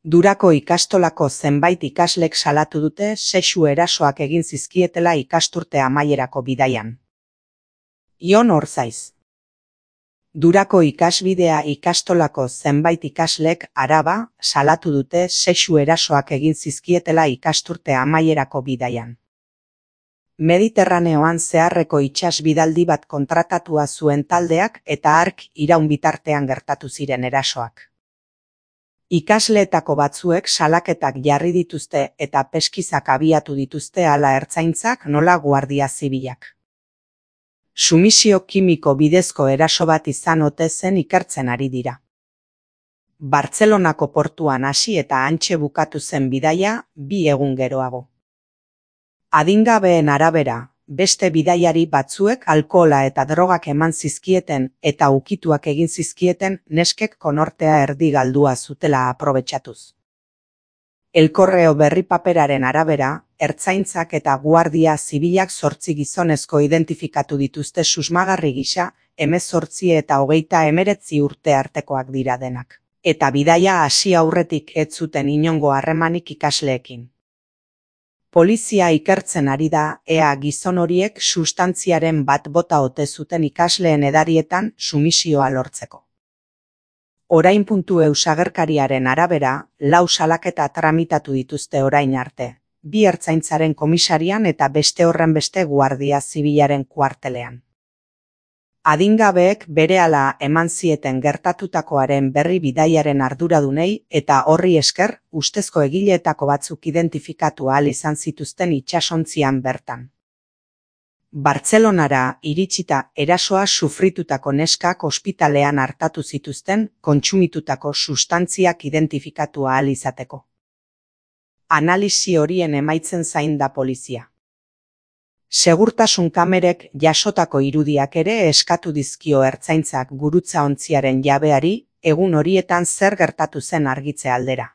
Durako ikastolako zenbait ikaslek salatu dute sexu erasoak egin zizkietela ikasturte amaierako bidaian. Ion Orzaiz. Durako ikasbidea ikastolako zenbait ikaslek Araba salatu dute sexu erasoak egin zizkietela ikasturte amaierako bidaian. Mediterraneoan zeharreko itsasbidaldi bat kontratatua zuen taldeak eta hark iraun bitartean gertatu ziren erasoak. Ikasleetako batzuek salaketak jarri dituzte eta peskizak abiatu dituzte hala ertzaintzak nola guardia zibilak. Sumisio kimiko bidezko eraso bat izan ote zen ikertzen ari dira. Bartzelonako portuan hasi eta hantxe bukatu zen bidaia 2 egun geroago. Adingabeen arabera, beste bidaiari batzuek alkohola eta drogak eman zizkieten eta ukituak egin zizkieten neskek konortea erdi galdua zutela aprobetxatuz. El Correo berri paperaren arabera, ertzaintzak eta guardia zibilak 8 gizonezko identifikatu dituzte susmagarri gisa, 18 eta 39 urte artekoak dira denak. Eta bidaia hasi aurretik ez zuten inongo harremanik ikasleekin. Polizia ikertzen ari da ea gizon horiek sustantziaren bat bota ote zuten ikasleen edarietan sumisioa lortzeko. Orain.eu agerkariaren arabera, 4 salaketa tramitatu dituzte orain arte, 2 ertzaintzaren komisarian eta beste horrenbeste guardia zibilaren kuartelean. Adingabeek berehala eman zieten gertatutakoaren berri bidaiaren arduradunei eta horri esker ustezko egileetako batzuk identifikatu ahal izan zituzten itsasontzian bertan. Bartzelonara iritsita erasoa sufritutako neskak ospitalean artatu zituzten kontsumitutako sustantziak identifikatu ahal izateko. Analisi horien emaitzen zain da polizia. Segurtasun kamerek jasotako irudiak ere eskatu dizkio ertzaintzak gurutza ontziaren jabeari egun horietan zer gertatu zen argitze aldera.